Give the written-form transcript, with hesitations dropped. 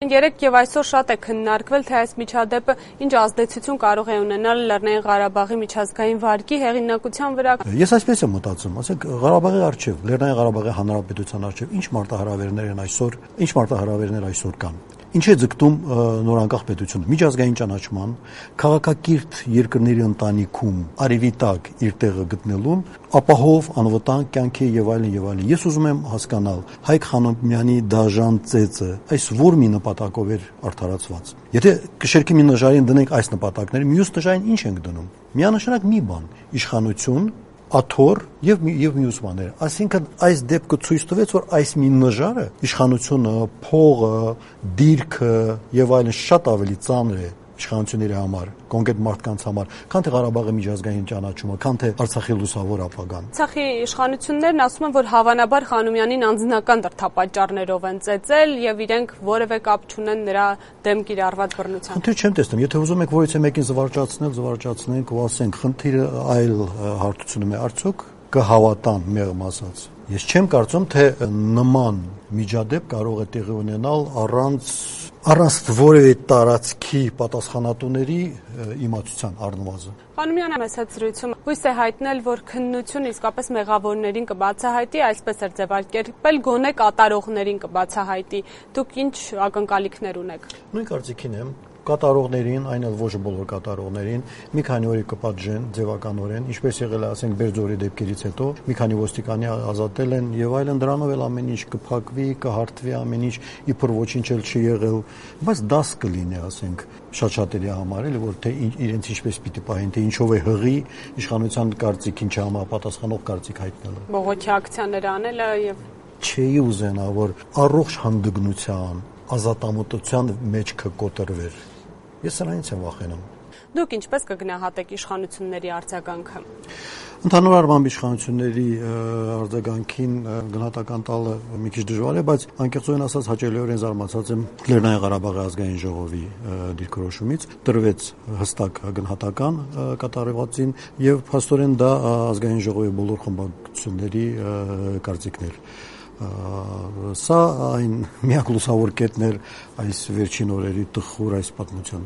Երեկ եւ այսօր շատ է քննարկվել, թե այս միջադեպը ինչ ազդեցություն կարող է ունենալ Լեռնային Ղարաբաղի միջազգային վարկի հեղինակության վրա։ Ես այսպես եմ մտածում, ասենք Ղարաբաղի արչեւ, Լեռնային Ղարաբաղի Հանրապետության արչեւ ինչ մարտահրավերներ այսօր կան։ Ինչ է ձգտում նորանկախ պետությունը միջազգային ճանաչման, քաղաքակիրթ երկրների ընտանիքում արևի տակ իր տեղը գտնելուն, ապահով անվտանգ կյանքի եւ այլն եւ այլն։ Ես ուզում եմ հասկանալ Հայկ Խանոմյանի դաժան ծեծը այս որ մի նպատակով էր արդարացված։ Եթե կշերքի մի նժարին դնենք այս նպատակները, մյուս նժարին ինչ ենք դնում։ Միանշանակ մի բան՝ իշխանություն, աթոռ եւ մյուս բաներ։ Այսինքն այս դեպքը ցույց տվեց, որ այս մի նժարը իշխանությունը, փողը, դիրքը եւ այլն շատ ավելի ծանր է իշխանությունների համար, կոնկրետ մարդկանց համար, քան թե Ղարաբաղի միջազգային ճանաչումը, քան թե Արցախի լուսավոր ապագան։ Արցախի իշխանություններն ասում են, որ հավանաբար Խանոմյանին անձնական դրդապատճառներով են ծեծել եւ իրենք որևէ կապ չունեն նրա դեմ կիրառված բռնությամբ։ Խնդիր չեմ տեսնում, եթե ուզում եք որից մեկին զվարճացնենք ու ասենք, խնդիրը այլ հարթությունում է, արդյոք կհավատան մեղմ ասած։ Ես չեմ կարծում, թե նման միջադեպ կարող է տեղի ունենալ առանց որևէ տարածքի պատասխանատուների իմացության առնվազն։ Խանոմյանը մեծ զրույցում հույս է հայտնել, որ քննությունը իսկապես մեղավորներին կբացահայտի, այսպես էր ձևակերպել, գոնե կատարողներին կբացահայտի։ Դուք ինչ ակնկալիքներ ունեք։ Նույն կարծիքին եմ։ Կատարողներին, այն էլ ոչ բոլոր կատարողներին, մի քանի օրի կպատժեն ձևականորեն, ինչպես եղել է, ասենք, Բերձորի դեպքերից հետո, մի քանի ոստիկանի ազատել են եւ այլն, դրանով էլ ամեն ինչ կփակվի, կհարթվի, ամեն ինչ իբր ոչինչ էլ չի եղել, բայց դաս կլինի, ասենք, շատ-շատերի համար, էլի, որ թե իրենց ինչպես պիտի պահեն, թե ինչով է հղի իշխանության կարծիքին չհամապատասխանող կարծիք հայտնելը։ Բողոքի ակցիաներ անելը եւ չէի ուզենա, որ առողջ հանդգնության, ազատամտության մեջ կկոտրվեր։ Ես սրանից եմ վախենում։ Դուք ինչպես կգնահատեք իշխանությունների արձագանքը։ Ընդհանուր առմամբ իշխանությունների արձագանքին գնահատական տալը մի քիչ դժվար է, բայց անկեղծորեն ասած հաճելիորեն զարմացած եմ Լեռնային Ղարաբաղի ազգային ժողովի դիրքորոշումից, տրվեց հստակ գնահատական կատարվածին եւ փաստորեն դա ազգային ժողովի բոլոր խմբակցությունների կարծիքն էր։ Սա այն միակ լուսավոր կետն էր այս վերջին օրերի տխուր այս պատմության։